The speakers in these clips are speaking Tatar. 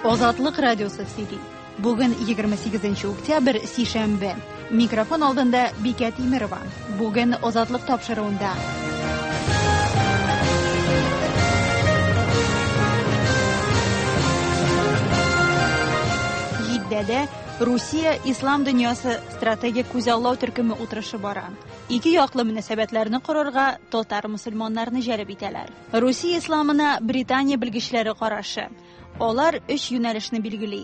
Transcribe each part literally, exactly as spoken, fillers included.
Азатлык радиосы сөйли. Бүген егерме сигезенче октябрь, сишәмбе. Микрофон алдында Бикә Тимерова. Бүген Азатлык тапшыруында. Җиддәдә Русия Ислам дөньясы стратегик күзаллау төркеме утырышы бара. Ике яклы мөнәсәбәтләрне корырга татар мөселманнарны җәлеп итәләр. Русия исламына Британия белгечләре карашы. Алар өч юнәлешне билгели.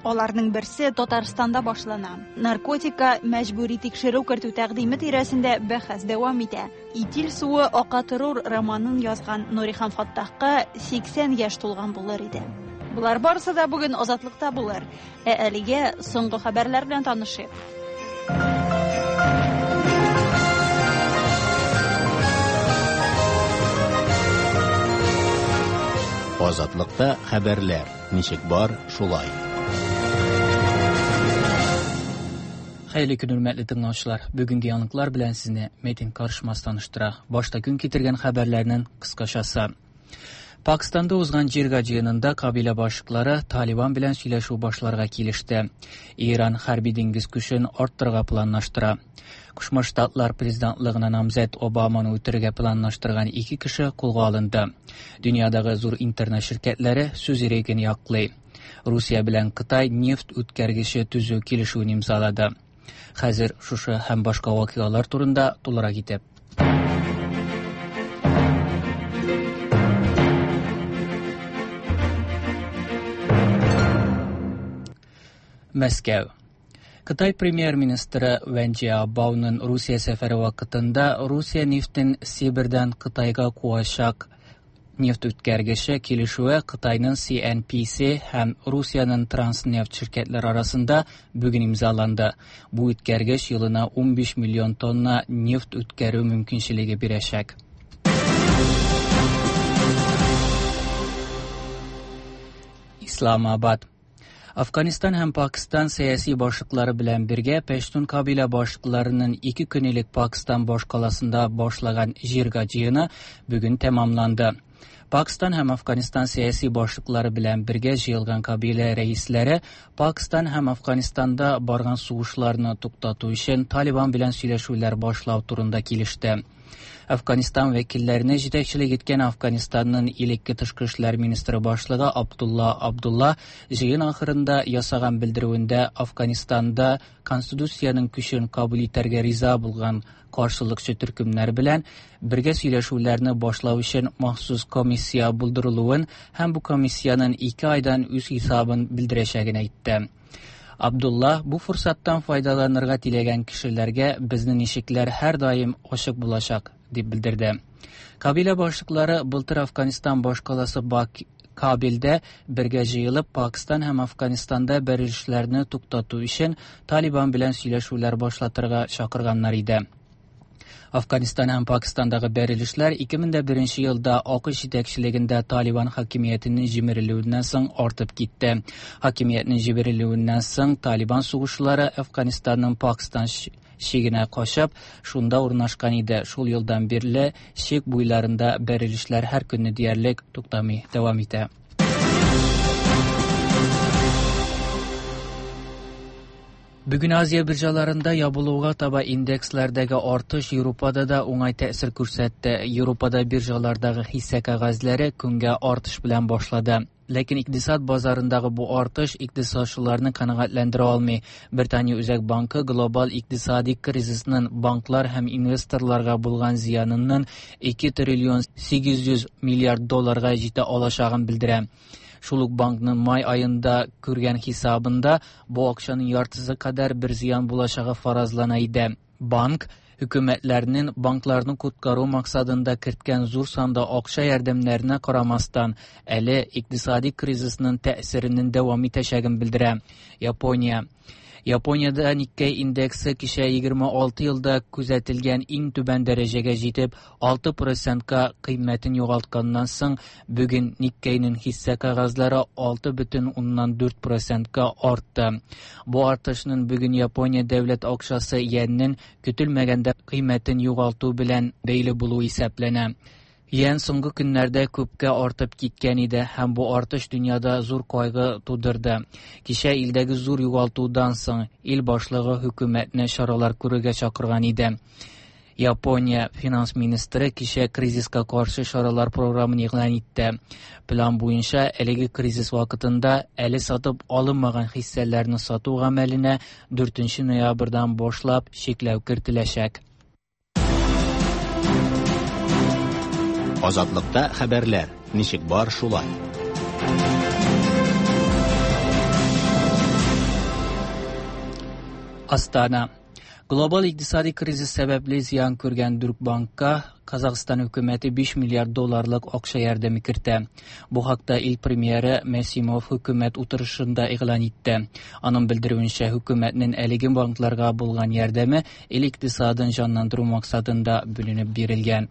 Аларның берсе Татарстанда башлана. Наркотика мәҗбүри тикшерү кертү тәкъдиме тирәсендә бәхәс дәвам итә. Итил суы ака торур романын язган Нурихан Фаттахка сиксән яшь тулган булыр иде. Булар барысы да бүген Азатлыкта булыр. Ә әлегә соңгы хәбәрләр белән танышыйк. Азатлыкта хәбәрләр ничек бар, шулай. Хәерле көн, хөрмәтле тыңлаучылар. Бүгенге яңалыклар белән сезне Метин Карышмас таныштыра. Башта көн китергән хәбәрләрнең кыскачасы. Пакистанда узган Җирга җыенында кабилә башлыклары Талибан белән сөйләшү башларга килеште. Иран хәрби диңгез көчен арттырырга планлаштыра. Кушма Штатлар президентлыгына намзәт Обаманы үтерергә планлаштырган ике кеше кулга алынды. Дөньядагы зур интернет ширкәтләре сүз иреген яклый. Русия белән Кытай нефть үткәргече төзү килешүен имзалады. Хәзер шушы һәм башка вакыйгалар турында тулырак итеп. Мәскәү. Кытай премьер-министры Вэн Цзябаоның Русия сәфәре вакытында Русия нефтен Сибирдән Кытайга куачак нефть үткәргече килешүе Кытайның Си Эн Пи Си һәм Русиянең Транснефть ширкәтләре арасында бүген имзаланды. Бу үткәргеч елына унбиш миллион тонна нефть үткәрү мөмкинчелеге бирәчәк. Исламабад. Афганистан һәм Пакистан сәяси башлыклары белән бергә Пәштун кабилә башлыкларының ике көн элек Пакистан башкаласында башлаган Җирга җыены бүген тәмамланды. Пакистан һәм Афганистан сәяси башлыклары белән бергә җыелган кабилә рәисләре Пакистан һәм Афганистанда барган сугышларны туктату өчен Талибан белән сөйләшүләр башлау турында килеште. Афганистан вәкилләренә җитәкчелек иткән Афганистанның элекке тышкы эшләр министры башлыгы Абдулла Абдулла җыен ахырында ясаган белдерүендә Афганистанда конституциянең көчен кабул итәргә риза булган каршылыкчы төркемнәр белән бергә сөйләшүләрне башлау өчен махсус комиссия булдырылуын һәм бу комиссиянең ике айдан үз хисабын белдерәчәген әйтте. Абдулла бу форсаттан файдаланырга теләгән кешеләргә безнең ишекләр һәр даим ачык булачак дип белдерде. Кабилә башлыклары былтыр Афганистан башкаласы Бак Кабилдә бергә җыелып Пакистан һәм Афганистанда бәрелешләрне туктату өчен Талибан белән сөйләшүләр башлатырга чакырганнар иде. Афганистан һәм Пакистандагы бәрелешләр ике мең дә беренче елда АКШ җитәкчелегендә Талибан хакимиятенең җимерелүеннән соң артып китте. Хакимиятнең җимерелүеннән соң Талибан сугышчылары Афганистанның Пакистан чигенә качып, шунда урнашкан иде. Шул елдан бирле чик буйларында бәрелешләр һәр көнне диярлек туктамый дәвам итә. Бүген Азия биржаларында ябылуга таба индексләрдәге артыш Европада да уңай тәэсир күрсәтте. Европада биржалардагы хисса кәгазьләре көнгә артыш белән башлады. Ләкин икътисад базарындагы бу артыш икътисадчыларны канәгатьләндерә алмый. Британия Үзәк банкы глобаль икътисади кризисның банклар һәм инвесторларга булган зыянының ике триллион сигез йөз миллиард долларга җитә алачагын белдерә. Шул ук банкның май аенда күргән хисабында бу акчаның яртысы кадәр бер зыян булачагы фаразлана иде. Банк хөкүмәтләрнең банкларны коткару максатында керткән зур санда акча ярдәмнәренә карамастан, әле икътисади кризисның тәэсиренең дәвам итәчәген белдерә. Япония. Япониядә Никкей индексы кичә егерме алты елда күзәтелгән иң түбән дәрәҗәгә җитеп, алты процентка кыйммәтен югалтканнан соң, бүген Никкейнең хисса кәгазьләре алты бөтен уннан дүрт процентка артты. Бу артышның бүген Япония дәүләт акчасы йеннең көтелмәгәндә кыйммәтен югалту белән бәйле булуы исәпләнә. Йен соңгы көннәрдә күпкә артып киткән иде һәм бу артыш дөньяда зур кайгы тудырды. Кичә илдәге зур югалтудан соң ил башлыгы хөкүмәтне чаралар күрергә чакырган иде. Япония финанс министры кичә кризиска каршы чаралар програмын игълан итте. План буенча әлеге кризис вакытында әле сатып алынмаган хиссәләрне сату гамәленә дүртенче ноябрьдән башлап чикләү кертеләчәк. Азатлыкта хәбәрләр ничек бар шулай. Астана. Глобал икътисади кризис сәбәпле зыян күргән Дүрт банкка Казахстан хөкүмәте биш миллиард долларлык акча ярдәме кертә. Бу хакта ил премьеры Мәсимов хөкүмәт утырышында игълан итте. Аның белдерүенчә, хөкүмәтнең әлеге банкларга булган ярдәме ил икътисадын җанландыру максатында бүленеп бирелгән.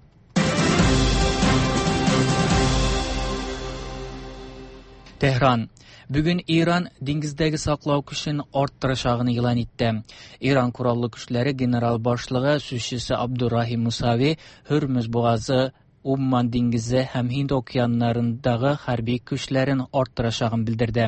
Tehran. Bugün İran dengizdagi saqlav kuchini orttirishini e'lon etdi. İran qurolli kuchlari general boshlig'i suzchisi Abdurrahim Musavi Hürmüz bo'g'ozi, Umman dengizi ham Hind okeanlarındagi harbiy kuchlarini orttirishini bildirdi.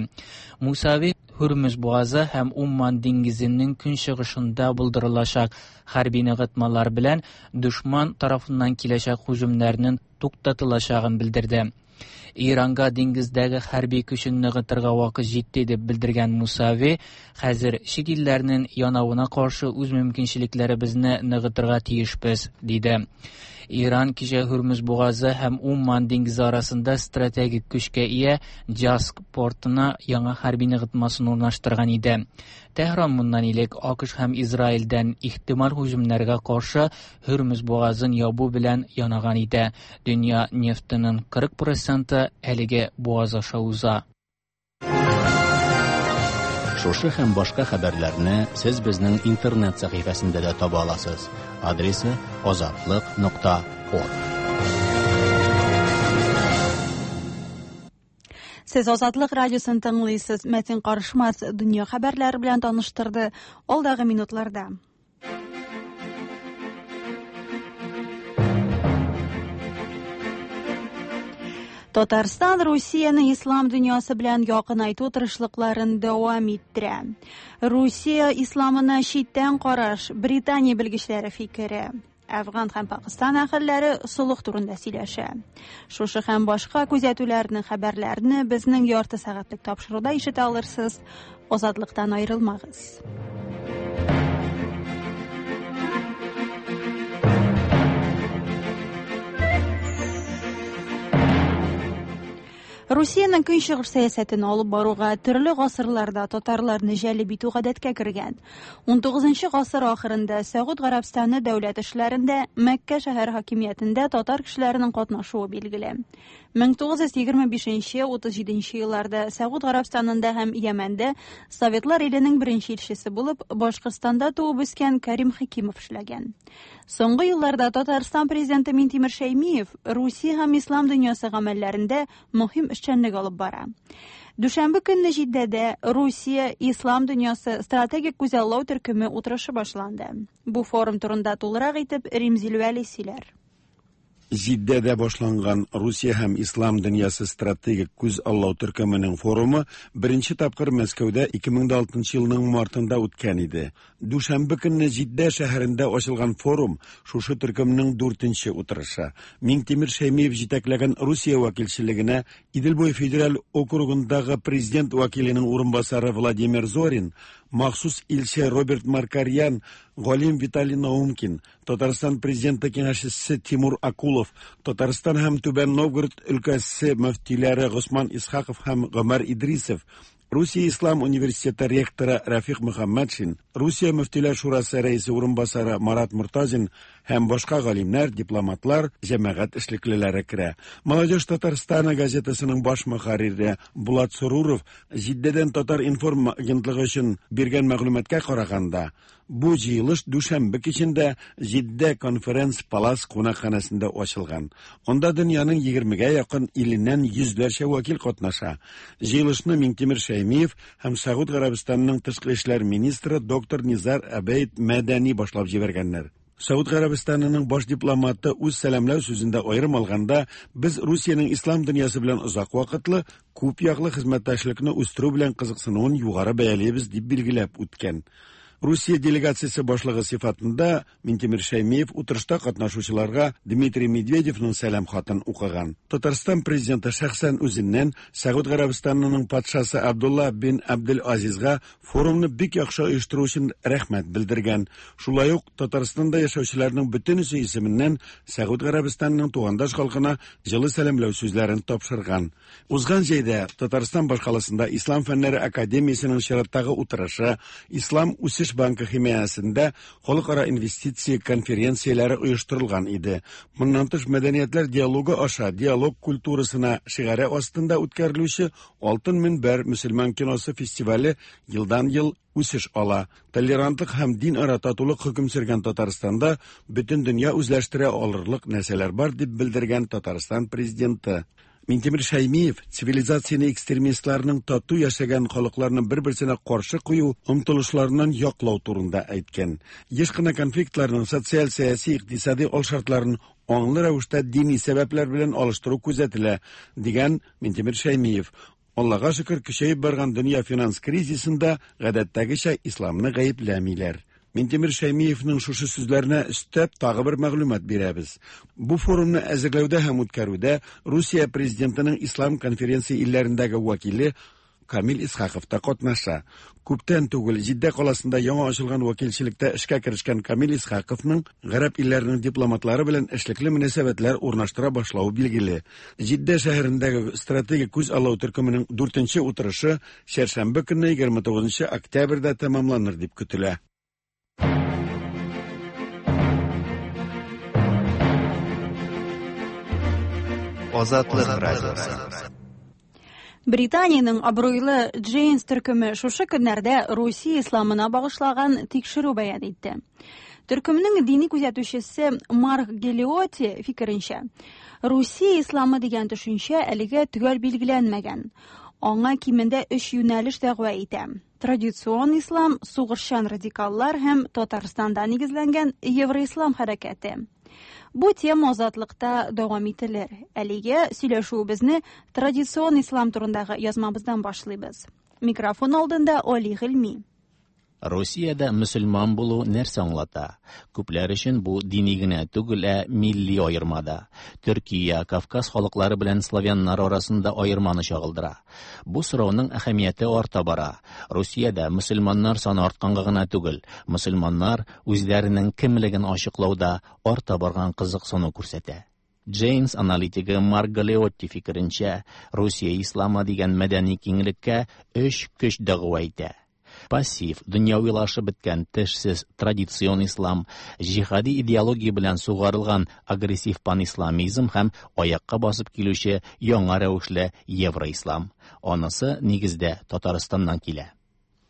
Musavi Hürmüz bo'g'ozi ham Umman dengizining kunchig'ishida bildirilajak harbiy nig'itmalar bilan dushman tarafidan kelajak hujumlarning to'xtatilashini bildirdi. İranга dengizdagi harbiy kuchini nig'itirga vaqt yetdi deb bildirgan Musavi, hozir chet ellarning yonavına qarshi o'z mumkinchiliklarimizni nig'itirga tiyishmiz, dedi. İran kecha Hürmüz bo'g'ozi ham Umman dengizi orasida strategik kuchga ega Jask portuna yangi harbiy nig'itmasini o'rnashtirgan edi. Tehron bundan ilik AQSh ham Izraildan ehtimol hujumlarga qarshi Hürmüz bo'g'ozini yobu bilan yonag'an edi. Dunyo neftining qirq prosenti әлеге bo'g'oz аша уза. Шушы һәм башка хәбәрләрне сез безнең интернет сәхифәсендә дә таба аласыз. Адресы азатлык нокта орг. Сез Азатлык радиосын тыңлыйсыз. Мәтин Карышмас дөнья хәбәрләре белән таныштырды. Алдагы минутларда. Татарстан Русияның ислам дөньясы белән якынайту тырышлыкларын дәвам иттерә. Русия исламына читтән караш, Британия белгечләре фикере. Афган һәм Пакистан әһелләре солых турында сөйләшә. Шушы һәм башка күзәтүләрне, хәбәрләрне безнең ярты сәгатьлек тапшыруда ишетә алырсыз. Азатлыктан аерылмагыз. Русиянең көнчыгыш сәясәтен алып баруга төрле гасырларда татарларны җәлеп итү гадәткә кергән. ун тугызынчы гасыр ахырында Сәгуд Гарәбстаны дәүләт эшләрендә Мәккә шәһәр хакимиятендә татар кешеләренең катнашуы билгеле. мең тугыз йөз егерме бишенче утыз җиденче елларда Сәгуд Гарәбстанында һәм Йәмәндә Советлар иленең беренче илчесе булып Башкортстанда туып үскән Карим Хәкимов эшләгән. Соңгы елларда Татарстан президенты Минтимер Шәймиев Русия һәм ислам дөньясы гамәлләрендә мөһим эшчәнлек алып бара. Дүшәмбе көнне Җиддәдә Русия ислам дөньясы стратегик күзаллау төркеме утырышы башланды. Бу форум турында тулырак итеп Римзил Вәли сөйләр. Җиддәдә башланган Русия һәм ислам дөньясы стратегик күз аллау төркеменең форумы беренче тапкыр Мәскәүдә ике мең дә алтынчы елның мартында үткән иде. Дүшәмбе көнне Җиддә шәһәрендә ачылган форум шушы төркемнең дүртенче утырышы. Миңтимер Шәймиев җитәкләгән Русия вәкилчелегенә Идел буе федераль округындагы президент вәкиленең урынбасары Владимир Зорин, махсус илче Роберт Маркарьян, галим Виталий Наумкин, Татарстан президенты киңәшчесе Тимур Акулов, Татарстан һәм Түбән Новгород өлкәсе мөфтиләре Госман Исхаков һәм Гомәр Идрисов, Русия Ислам университеты ректоры Рафик Мөхәммәтшин, Русия мөфтиләр шурасы рәисе урынбасары Марат Муртазин һәм башка галимнәр, дипломатлар, җәмәгать эшлеклеләре керә. Молодежь Татарстана газетасының баш мөхәррире Булат Соруров Җиддәдән Татар информ агентлыгы өчен биргән мәгълүматка караганда, бу җыелыш дүшәмбе кичендә Җиддә конференц палас кунакханәсендә ачылган. Анда дөньяның егермегә якын иленнән йөзләрчә вәкил катнаша. Җыелышны Миңтимер Шәймиев һәм Сәгуд Гарәбстанының тышкы эшләр министры доктор Низар Абейд Мәдәни башлап җибәргәннәр. Сауд Гарәбстанының баш дипломаты үз сәламләү сүзендә аерым алганда, без Русиянең ислам дөньясы белән озак вакытлы, күп яклы хезмәттәшлекне үстерү белән кызыксынуын югары бәялибез дип билгеләп үткән. Русия делегациясе башлыгы сыйфатында Минтимер Шәймиев утырышта катнашучыларга Дмитрий Медведевның сәлам хатын укыган. Татарстан президенты шәхсән үзеннән Сәгуд Гарәбстанының патшасы Абдулла бин Абдел-Азизга форумны бик яхшы оештыру өчен рәхмәт белдергән. Шулай ук Татарстанда яшәүчеләрнең бөтенесе исеменнән Сәгуд Гарәбстанының тугандаш халкына җылы сәламләү сүзләрен тапшырган. Узган җәйдә Татарстан башкаласында Ислам фәннәре академиясенең чираттагы утырышы Ислам үсеш банкы химаясында халыкара инвестиция конференцияләре оештырылган иде. Моннан тыш мәдәниятләр диалогы аша диалог культурасына шигаре астында үткәрелүче Алтын мөнбәр мөселман киносы фестивале елдан-ел үсеш ала. Толерантлык һәм дин ара татулык хөкем сөргән Татарстанда бөтен дөнья үзләштерә алырлык нәрсәләр бар дип белдергән Татарстан президенты. Минтимер Шәймиев цивилизацияне экстремистларның тату яшәгән халыкларны бер-берсенә каршы кую омтылышларыннан яклау турында әйткән. Еш кына конфликтларның социаль, сәяси, икътисади алшартларын аңлы рәвештә дини сәбәпләр белән алыштыру күзәтелә, дигән Минтимер Шәймиев. Аллага шөкер, көчәеп барган дөнья финанс кризисында гадәттәгечә исламны гаепләмиләр. Минтимер Шәймиевның шушы сүзләренә өстәп тагы бер мәгълүмат бирәбез. Бу форумны әзерләүдә һәм үткәрүдә Русия президентының Ислам конференция илләрендәге вәкиле Камил Исхаков та катнаша. Күптән түгел Җиддә каласында яңа ачылган вәкилчелектә эшкә керешкән Камил Исхаковның гарәп илләренең дипломатлары белән эшлекле мөнәсәбәтләр урнаштыра башлавы билгеле. Җиддә шәһәрендәге стратегик күз аллау төркеменең дүртенче утырышы чәршәмбе көнне егерме тугызынчы октябрьдә тәмамланыр дип көтелә. Азатлык радиосы. Британиянең абруйлы Джейнс төркеме шушы көннәрдә Русия исламына багышлаган тикшерү бәян итте. Төркемнең дини күзәтүчесе Марк Гелиоти фикеренчә, Русия исламы дигән төшенчә әлегә төгәл билгеләнмәгән. Аңа кимендә өч юнәлеш дәгъва итә. Традицион ислам, сугышчан радикаллар һәм Татарстанда нигезләнгән Евроислам хәрәкәте. Бу тема азатлыкта дәвам ителер. Әлегә сөйләшүебезне традицион ислам турындагы язмабыздан башлыйбыз. Микрофон алдында Али Гыйльми. Русиядә мөселман булу нәрсә аңлата? Күпләр өчен бу дини генә түгел, ә милли аерма да. Төркия, Кавказ халыклары белән славяннар арасында аерманы чагылдыра. Бу сорауның әһәмияте арта бара. Русиядә мөселманнар саны артканга гына түгел, мөселманнар үзләренең кемлеген ачыклауда арта барган кызыксыну күрсәтә. Джейнс аналитигы Марк Галеотти фикеренчә, Русия исламы дигән мәдәни киңлеккә өч көч дәгъва итә. Пассив, дөньявилашып беткән тешсез традицион ислам, җиһади идеология белән сугарылган агрессив панисламизм һәм аякка басып килүче яңа рәвешле евроислам. Анысы нигездә Татарстаннан килә.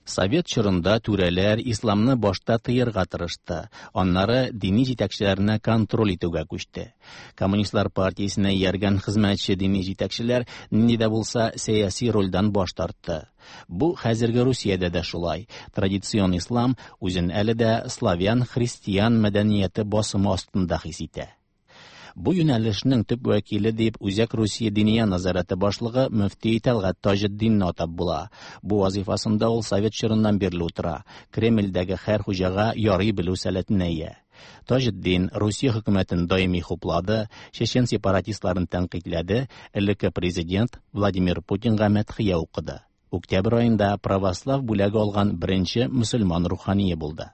Совет чорында түрәләр исламны башта тыярга тырышты, аннары дини җитәкчеләрне контроль итүгә күчте. Коммунистлар партиясенә ияргән хезмәтче дини җитәкчеләр нинди дә булса сәяси рольдән баш тартты. Бу хәзерге Русиядә дә шулай. Традицион ислам үзен әле дә славян-христиан мәдәнияте басымы астында хис итә. Бу юнәлешнең төп вәкиле дип Үзәк Русия диния назараты башлыгы мөфти Тәлгать Таҗетдинне атап була. Бу вазифасында ул совет чорыннан бирле утыра. Кремльдәге һәр хуҗага ярый белү сәләтенә ия. Таҗетдин Русия хөкүмәтен даими хуплады, чечен сепаратистларын тәнкыйтьләде, элекке президент Владимир Путинга мәдхия укыды. Октябрь аенда православ бүләге алган беренче мөселман рухание булды.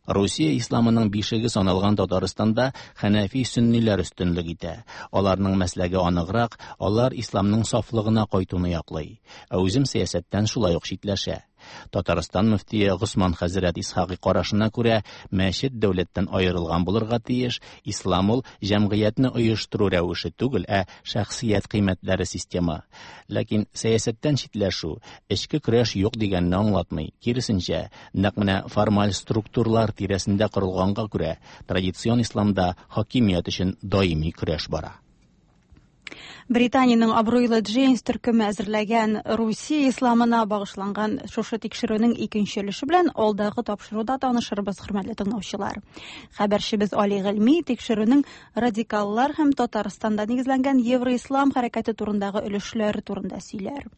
Русия исламының бишеге саналган Татарстанда хәнәфи сөнниләр өстенлек итә. Аларның мәсләге аныграк, алар исламның сафлыгына кайтуны яклый. Ә үзем сәясәттән шулай ук читләшә. Татарстан мөфтие Госман хәзрәт Исхакый карашына күрә, мәчет дәүләттән аерылган булырга тиеш, ислам ул җәмгыятьне оештыру рәвеше түгел, ә шәхсият кыйммәтләре система. Ләкин сәясәттән читләшү, эчке көрәш юк дигәнне аңлатмый. Киресенчә, нәкъ менә формаль структуралар тирәсендә корылганга күрә, традицион исламда хакимият өчен даими көрәш бара. Британиянең абруйлы Джейнс төркеме әзерләгән Русия исламына багышланган шушы тикшерүнең икенче өлеше белән алдагы тапшыруда танышырбыз, хөрмәтле тыңлаучылар. Хәбәрчебез Али Гыйльми тикшерүнең радикаллар һәм Татарстанда нигезләнгән Евроислам хәрәкәте турындагы өлешләре турында сөйләр.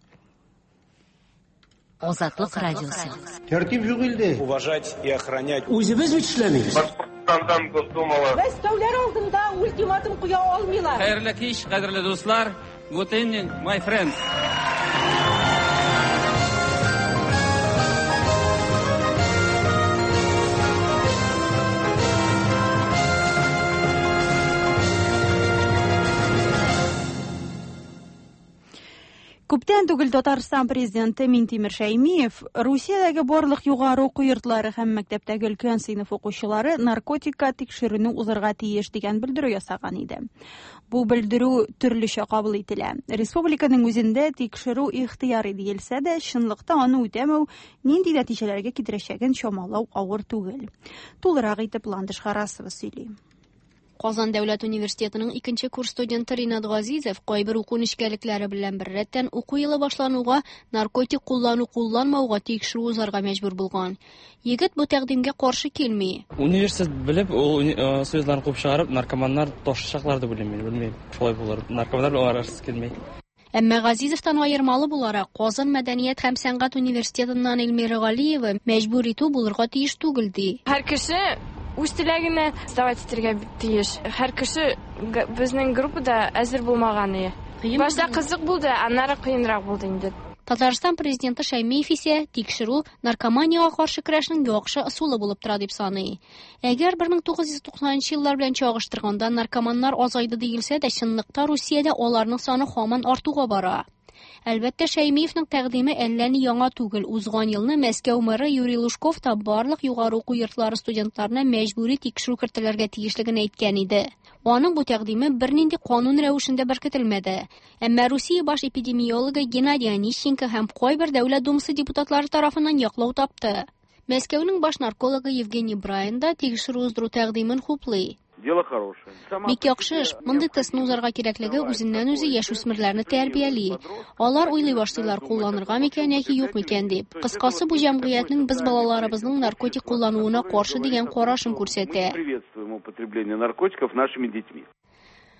Азатлык радиосы. Тәртип юк илдә. Уважать и охранять. Үзебез бит эшләмибез. Башкортстандан Госдумала. Мәскәүләр алдында ультиматум куя алмыйлар. Хәерле кич, кадерле дуслар. Good evening, my friends. Күптән түгел Татарстан президенты Минтимер Шәймиев Русиядәге барлык югары уку йортлары һәм мәктәптәге өлкән сыйныф укучылары наркотикка тикшерүне узарга тиеш дигән белдерү ясаган иде. Бу белдерү төрлечә кабул ителә. Республиканың үзендә тикшерү ихтыяри диелсә дә, чынлыкта аны үтәмәү нинди нәтиҗәләргә китерәчәген чамалау авыр түгел. Тулырак итеп Ландыш Харасова сөйли. Казан дәүләт университетының икенче курс студенты Ринат Газизов кайбер уку нечкәлекләре белән беррәттән уку елы башлануга наркотик куллану кулланмауга тикшерү узарга мәҗбүр булган. Егет бу тәкъдимгә каршы килми. Университет белеп, ул студентларны куып чыгарып, наркоманнар ташышаклар дип уйлыйм мин, белмим. Шулай булыр. Наркоманнар белән аралашасы килми. Әмма Газизовтан аермалы буларак, Казан мәдәният һәм сәнгать университетыннан Эльмира Галиева мәҗбүр итү булырга тиеш түгел ди. Һәр кеше үз теләгенә сдавать итәргә тиеш. Һәр кеше безнең группада әзер булмаган иде. Башта кызык булды, аннары кыенрак булды инде. Татарстан президенты Шәймиев исә тикшерү наркоманиягә каршы көрәшнең яхшы ысулы булып тора дип саный. Әгәр бер мең тугыз йөз туксанынчы еллар белән чагыштырганда наркоманнар азайды диелсә дә, чынлыкта Русиядә аларның саны һаман артуга бара. Әлбәттә, Шәймиевның тәкъдиме әллә ни яңа түгел. Узган елны Мәскәү мэры Юрий Лужков та барлык югары уку йортлары студентларына мәҗбүри тикшерү кертелергә тиешлеген әйткән иде. Аның бу тәкъдиме бернинди канун рәвешендә беркетелмәде. Әмма Русия баш эпидемиологы Геннадий Онищенко һәм кайбер дәүләт думасы депутатлары тарафыннан яклау тапты. Мәскәүнең баш наркологы Евгений Брайан да тикшерү уздыру тәкъдимен хуплый. Дело хорошее. Бик яхшы эш. Мондый тестны узарга кирәклеге үзеннән үзе яшүсмерләрне тәрбияли. Алар уйлый башлыйлар, кулланырга микән яки юк микән дип. Кыскасы, бу җәмгыятьнең без балаларыбызның наркотик куллануына каршы дигән карашын күрсәтә. Приветствуем употребление наркотиков нашими детьми.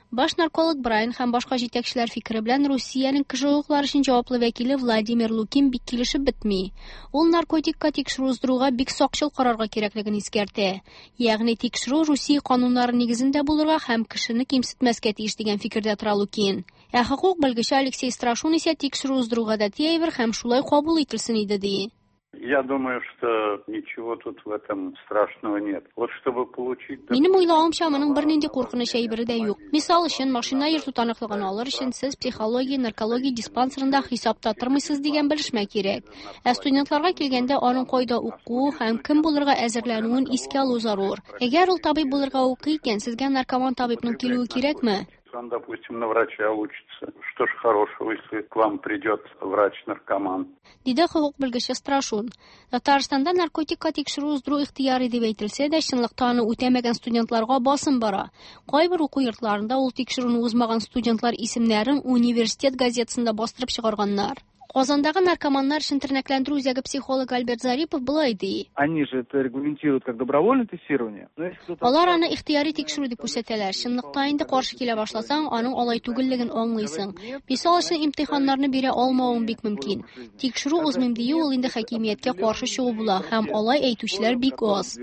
Баш нарколог Брайан һәм башка җитәкчеләр фикере белән Русиянең кеше хокуклары өчен җаваплы вәкиле Владимир Лукин бик килешеп бетми. Ул наркотикка тикшерү уздыруга бик сакчыл карарга кирәклеген искәртә. Ягъни тикшерү Русия кануннары нигезендә булырга һәм кешене кимсетмәскә тиеш дигән фикердә тора Лукин. Ә хокук белгече Алексей Страшун исә тикшерү уздыру гадәти әйбер һәм шулай кабул ителсен иде ди. Я думаю, что ничего тут в этом страшного нет. Вот чтобы получить... Минем уйлавымча, моның бернинди куркыныч әйбере дә юк. Мисал өчен, машина йөртү таныклыгын алыр өчен сез психология, наркология диспансерында хисапта тормыйсыз дигән белешмә кирәк. Ә студентларга килгәндә, аның кайда уку һәм кем булырга әзерләнүен искә алу зарур. Әгәр ул табиб булырга укый икән, сезгә наркоман табибның килүе кирәкме? Он, допустим, на врача учится. Что ж хорошего, если к вам придет врач-наркоман? Диде хокук белгече Страшун. Татарстанда наркотикка тикшерү уздыру ихтыяри дип әйтелсә дә, чынлыкта аны үтәмәгән студентларга басым бара. Кайбер уку йортларында ул тикшерүне узмаган студентлар исемнәрен университет газетасында бастырып чыгарганнар. Казандагы наркоманнар өчен тернәкләндерү үзәге психологы Альберт Зарипов болай ди. Они же это регламентируют как добровольное тестирование. Алар аны ихтыяри тикшерү дип күрсәтәләр. Чынлыкта инде каршы килә башласаң, аның алай түгеллеген аңлыйсың. Мисал өчен, имтиханнарны бирә алмавың бик мөмкин. Тикшерү узмыйм дию ул инде хакимияткә каршы чыгу була, һәм алай әйтүчеләр бик аз.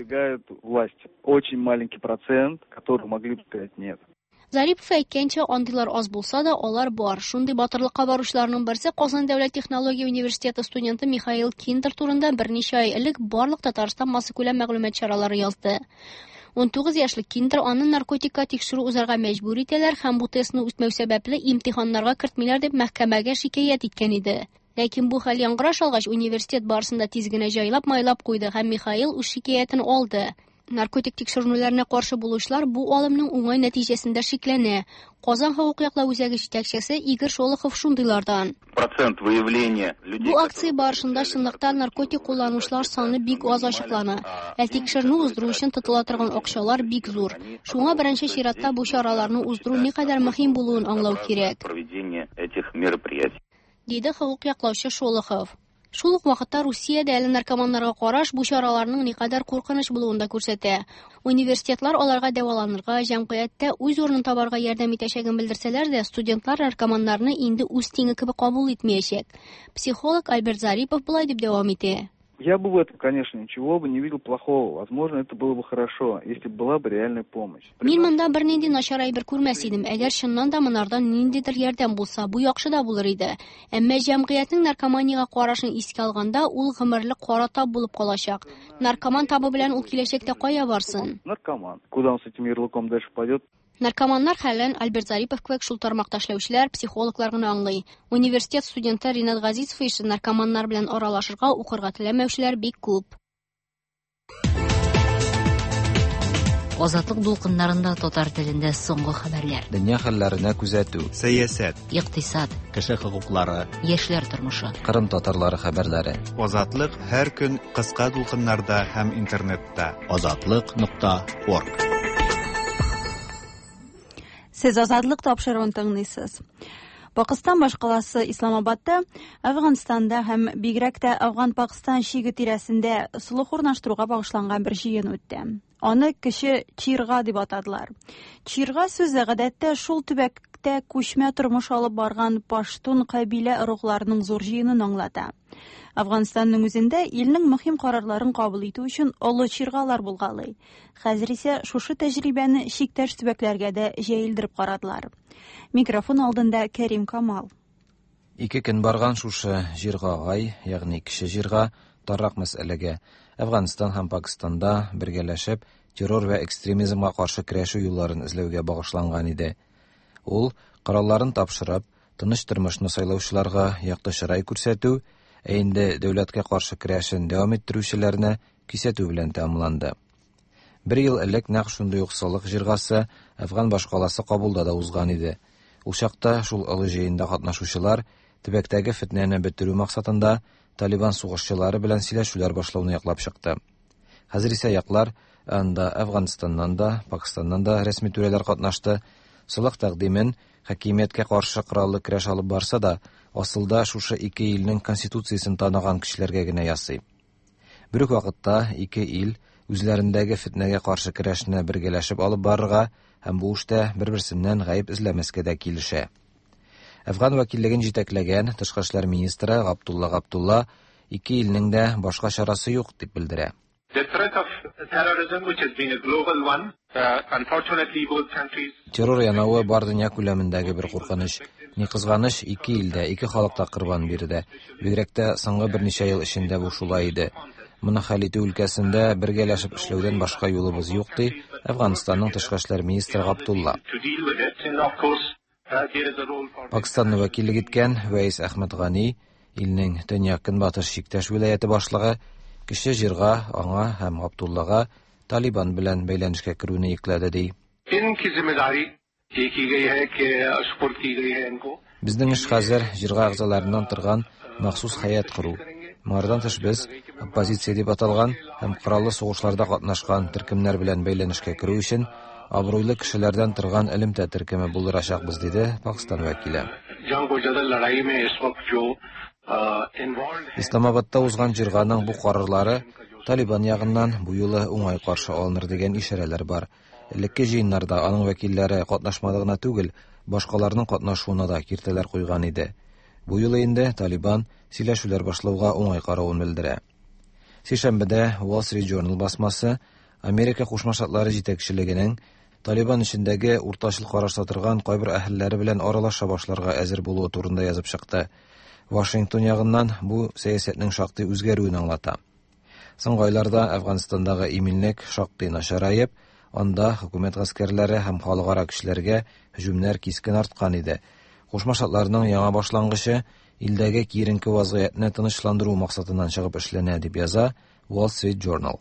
Очень маленький процент, который могли бы сказать нет. Зарипов әйткәнчә, андыйлар аз булса да, алар бар. Шундый батырлыкка баручыларның берсе Казан дәүләт технология университеты студенты Михаил Киндер турында берничә ай элек барлык Татарстан массакүләм мәгълүмат чаралары язды. ун тугыз яшьлек Киндер аны наркотикка тикшерү узарга мәҗбүр итәләр һәм бу тестны үтмәү сәбәпле имтиханнарга кертмиләр дип мәхкәмәгә шикаять иткән иде. Ләкин бу хәл яңгыраш алгач, университет барысын да тиз генә җайлап майлап куйды һәм Михаил үз шикаятен алды. Наркотик тикшеренүләренә каршы булучылар бу алымның уңай нәтиҗәсендә шикләнә. Казан хокук яклау үзәге җитәкчесе Игорь Шолохов шундыйлардан. Процент выявления людей. Бу акция барышында чынлыкта наркотик кулланучылар саны бик аз ачыклана. Ә тикшеренү уздыру өчен тотыла торган акчалар бик зур. Шуңа беренче чиратта бу чараларны уздыру никадәр мөһим булуын аңлау кирәк. Проведение этих мероприятий. Диде хокук яклаучы Шолохов. Шул ук вакытта Русиядә әле наркоманнарга караш бу чараларның никадәр куркыныч булуын да күрсәтә. Университетлар аларга дәваланырга, җәмгыятьтә үз урынын табарга ярдәм итәчәген белдерсәләр дә, студентлар наркоманнарны инде үз тиңе кебек кабул итмәячәк. Психолог Альберт Зарипов болай дип дәвам итә. Я бы в этом, конечно, ничего бы не видел плохого. Возможно, это было бы хорошо, если бы была бы реальная помощь. Мин монда бернинди начар әйбер күрмәс идем. Әгәр чыннан да монардан ниндидер ярдәм булса, бу яхшы да булыр иде. Әмма җәмгыятьнең наркоманиягә карашын искә алганда, ул гомерлек кара тап булып калачак. Наркоман табы белән ул киләчәктә кая барсын? Наркоман. Куда он с этим ярлыком дальше пойдет? Наркоманнар хәлен Альберт Зарипов кебек шул тармакта эшләүчеләр, психологлар гына аңлый. Университет студенты Ринат Газизов исә наркоманнар белән аралашырга, укырга теләмәүчеләр бик күп. Азатлык дулкыннарында татар телендә соңгы хәбәрләр. Дөнья хәлләренә күзәтү, сәясәт, икътисад, кеше хокуклары, яшьләр тормышы, Кырым татарлары хәбәрләре. Азатлык һәр көн кыска дулкыннарда һәм интернетта. Азатлык нокта орг. Сез Азатлык тапшыруын тыңлыйсыз. Пакистан башкаласы Исламабадта, Әфганстанда һәм бигрәк тә Афган-Пакистан чиге тирәсендә солых урнаштыруга багышланган бер җыен үтте. Аны кеше Чирга дип атадылар. Чирга сүзе гадәттә шул төбәктә күчмә тормыш алып барган паштун кабилә ыругларының зур җыенын аңлата. Афганстанның үзендә илнең мөһим карарларын кабул итү өчен олы чиргалар булгалый. Хәзер исә шушы тәҗрибәне чиктәш төбәкләргә дә җәелдереп карадылар. Микрофон алдында Кәрим Камал. Ике көн барган шушы җирга гай, ягъни кеше җирга таррак мәсьәләгә Әфганстан һәм Пакистанда бергәләшеп террор вә экстремизмга каршы көрәшү юлларын эзләүгә багышланган иде. Ул коралларын тапшырып, тыныч тормышны сайлаучыларга якты чырай күрсәтү, ә инде дәүләткә каршы көрәшен дәвам иттерүчеләрне кисәтү белән тәмамланды. Бер ел элек нәкъ шундый ук солых җиргасы Әфган башкаласы Кабулда да узган иде. Ул чакта шул олы җыенда катнашучылар төбәктәге фетнәне бетерү максатында Талибан сугышчылары белән сөйләшүләр башлауны яклап чыкты. Хәзер исә яклар анда Әфганстаннан да, Пакистаннан да рәсми түрәләр катнашты. Солых тәкъдимен хакимияткә каршы кораллы көрәш алып барса да, асылда шушы ике илнең конституциясен таныган кешеләргә генә ясый. Бер үк вакытта ике ил үзләрендәге фетнәгә каршы көрәшне бергәләшеп алып барырга һәм бу эштә бер-берсеннән гаеп эзләмәскә дә килешә. Әфган вәкиллеген җитәкләгән тышкы эшләр министры Габдулла Габдулла ике илнең дә башка чарасы юк дип белдерә. Террор янавы бар дөнья күләмендәге бер куркыныч. Ни кызганыч, ике илдә, ике халык та корбан бирде. Бигрәк тә соңгы берничә ел эчендә бу шулай иде. Моны хәл итү өлкәсендә бергәләшеп эшләүдән башка юлыбыз юк, ди Әфганстанның тышкы эшләр министры Габдулла. Пакистанны вәкиллек иткән Вәис Әхмәд Гани, илнең төньяк-көнбатыш чиктәш вилаяте башлыгы, кеше җирга аңа һәм Габдуллага Талибан белән бәйләнешкә керүне йөкләде, ди. Безнең эш хәзер җирга әгъзаларыннан торган махсус хәят кору. Моңардан тыш без оппозиция дип аталган һәм кораллы сугышларда катнашкан төркемнәр белән бәйләнешкә керү өчен абруйлы кешеләрдән торган элемтә төркеме булдырачакбыз, диде Пакистан вәкиле. Исламабадта узган җирганың бу карарлары Талибан ягыннан бу юлы уңай каршы алыныр дигән ишарәләр бар. Элекке җыеннарда аның вәкилләре катнашмады гына түгел, башкаларның катнашуына да киртәләр куйган иде. Бу юлы инде Талибан сөйләшүләр башлауга уңай каравын белдерә. Сишәмбедә Wall Street Journal басмасы Америка Кушма Штатлары җитәкчелегенең Талибан эчендәге уртачыл карашта торган кайбер әһелләре белән аралаша башларга әзер булуы турында язып чыкты. Вашингтон ягыннан бу сәясәтнең шактый үзгәрүен аңлата. Соңгы айларда Әфганстандагы иминлек шактый начараеп, анда хөкүмәт гаскәрләре һәм халыкара көчләргә һөҗүмнәр кискен арткан иде. Кушма Штатларның яңа башлангычы илдәге киеренке вазгыятьне тынычландыру максатыннан чыгып эшләнә, дип яза Wall Street Journal.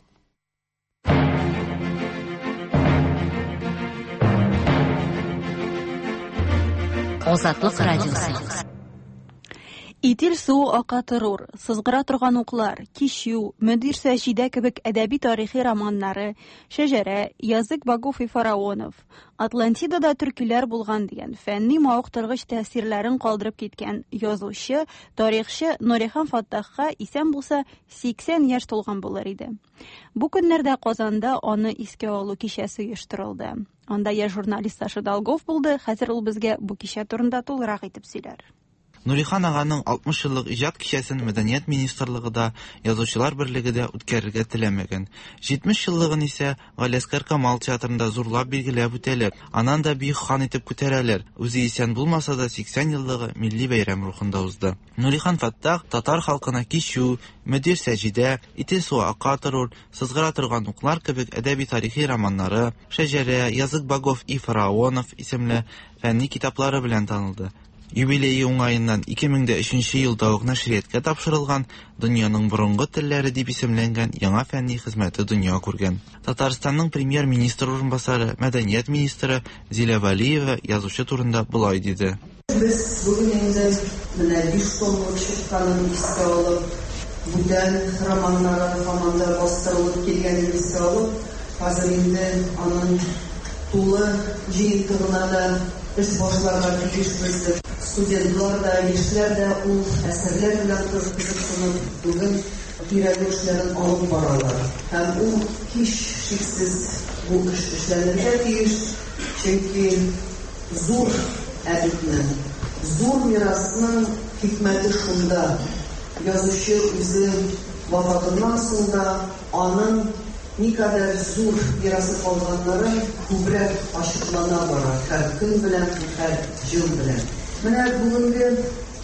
Азатлык радиосы. Итил суы ака торур, сызгыра торган уклар, Кичү, Мөдир Сәҗидә кебек әдәби тарихи романнары, Шәҗәрә, Язык богов и фараонов, Атлантидада төркиләр булган дигән фәнни мавыктыргыч тәэсирләрен калдырып киткән язучы, тарихчы Нурихан Фаттахка исән булса сиксән яшь тулган булыр иде. Бу көннәрдә Казанда аны искә алу кичәсе оештырылды. Анда яшь журналист Саша Долгов булды, хәзер ул безгә бу кичә турында тулырак итеп сөйләр. Нурихан ағаның алтмыш еллык иҗат кичәсен Мәдәният министрлыгы да, Язучылар берлеге дә үткәрергә теләмәгән. Җитмеш еллыгын исә Галиәсгар Камал театрында зурлап билгеләп үтәләр. Анан да бөек хан итеп күтәрәләр. Үзе исән булмаса да сиксән еллыгы милли бәйрәм рухында узды. Нурихан Фаттах татар халкына Кичү, Мөдир Сәҗидә, Итил суы ака торур, Сызгыра торган уклар кебек әдәби тарихи романнары, Шәҗәрә, Язык богов и фараонов исемле фәнни китаплары белән танылды. Юбилее уңаеннан ике мең дә өченче елда ук нәшрияткә тапшырылган Дөньяның борынгы телләре дип исемләнгән яңа фәнни хезмәте дөнья күргән. Татарстанның премьер-министр урынбасары, мәдәният министры Зилә Вәлиева язучы турында болай диде. Без бүген инде менә биш томлык чыкканын искә алып, бүтән романнары һаман да бастырылып килгәнен искә алып, хәзер инде аның тулы җыентыгына да эш башларга тиешбез. Студентлар да, яшьләр дә ул әсәрләр белән кызыксынып бүген өйрәнү эшләрен алып баралар. Һәм ул һичшиксез бу эш эшләнергә тиеш, чөнки зур әдипнең, зур мирасның хикмәте шунда. Язучы үзе вафатыннан соң да аның никадәр зур мирасы калганнары күбрәк ачыклана бара, һәр көн белән, һәр ел белән. Менә бүгенге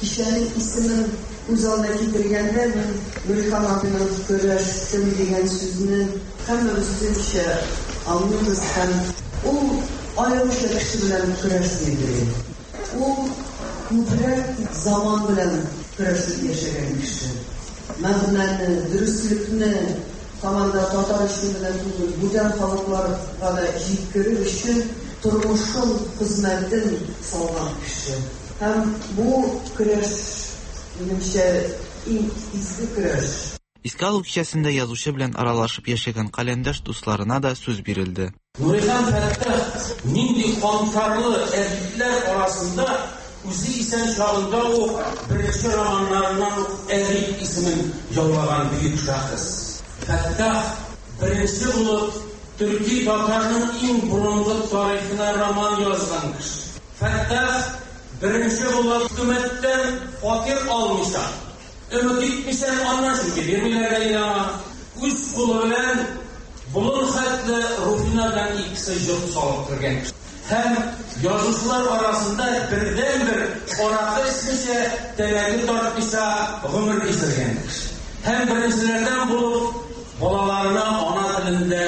кичәнең исемен күз алдына китергәндә мин Нурихан абыйның көрәштем дигән сүзне һәммәбез үзенчә аңлыйбыз һәм ул аеруча кеше белән көрәшмидер. Ул күбрәк заман белән көрәшеп яшәгән кеше. Мәгънәне, дөреслекне һаман да татар өчен генә түгел, бүтән халыкларга да җиткерер өчен тормышын, хезмәтен салган кеше. Һәм бу көрәш, минемчә, иң изге көрәш. Искә алу кичәсендә язучы белән аралашып яшәгән каләмдәш дусларына да сүз бирелде. Нурихан Фаттах нинди кантарлы әдипләр арасында үзе исән чагында ук беренче романнарыннан ук әдип исемен яулаган бөек шәхес. Фаттах беренче булып төрки татарның иң борынгы тарихына роман язган кеше. Фаттах беренче булып хөкүмәттән фатир алмыйча, өмет итмичә, аннан чөнки бирмиләр дә иде аңа. Үз кулы белән болын хәтле Руфина белән икесе йорт салып кергән кеше. Һәм язучылар арасында бердәнбер аракы эчмичә, тәмәке тартмыйча гомер кичергән кеше. Һәм беренчеләрдән булып балаларына ана телендә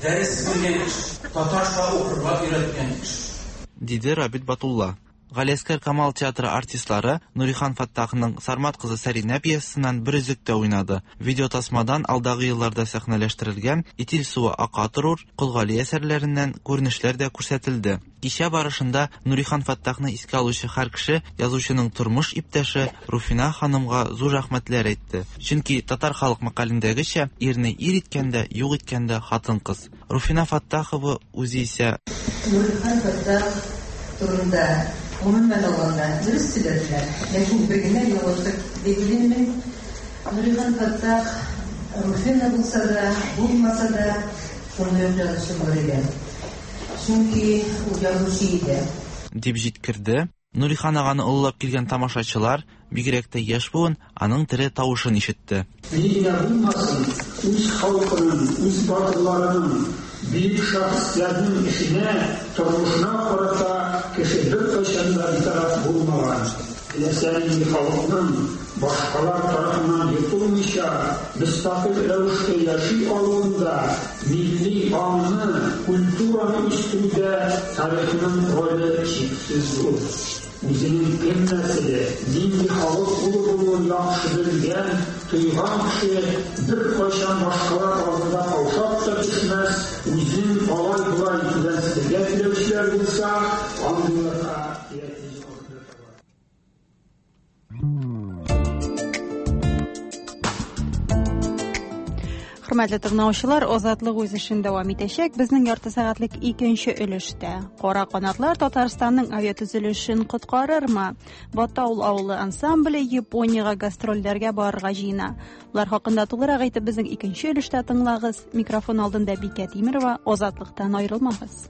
дәрес биргән кеше, татарча укырга өйрәткән кеше. Диде Рабит Батулла. Галиәсгар Камал театры артистлары Нурихан Фаттахның Сармат кызы Сәринә пьесасыннан бер өзектә уйнады. Видеотасмадан алдагы елларда сәхнәләштерелгән Итил суы ака торур, Кол Гали әсәрләреннән күренешләр дә күрсәтелде. Кичә барышында Нурихан Фаттахны искә алучы һәр кеше язучының тормыш иптәше Руфина ханымга зур рәхмәтләр әйтте. Чөнки татар халык мәкалендәгечә, ирне ир иткәндә, юк иткәндә хатын-кыз. Руфина Фаттахова үзе исә Нурихан Фаттах турында гомумән алганда дөрес сөйләделәр, ләкин бер генә ялгышлык дип уйлыйм мин. Нурихан Фаттах Руфина булса да, булмаса да, шундый ук язучы булыр иде. Чөнки ул язучы иде. Дип җиткерде. Нурихан аганы олылап килгән тамашачылар, бигрәк тә яшь буын, аның тере тавышын ишетте. Ни генә булмасын, үз халкының, үз батырларының, бөек шәхесләрнең эшенә, тормышына карата кеше беркайчан да битараф булмаган. Теләсә нинди халыкның башкалар тарафыннан йотылмыйча, мөстәкыйль рәвештә яши алуында, милли аңны, культураны үстерүдә тарихның роле чиксез зур. Үзенең кем нәселе, нинди халык улы булуын яхшы белгән, тойган кеше беркайчан башкалар алдында каушап та төшмәс, үзен алай-болай түбәнсетергә теләүчеләр булса, андыйларга кирәк. Хөрмәтле тыңлаучылар, Азатлык үз эшен дәвам итәчәк. Безнең ярты сәгатьлек икенче өлештә. Кара канатлар Татарстанның авиатөзелешен коткарырмы? Батаул авылы ансамбле Япониягә гастрольләргә барырга җыена. Болар хакында тулырак әйтеп безнең икенче өлештә тыңлагыз. Микрофон алдында Бикә Тимерова. Азатлыктан аерылмагыз.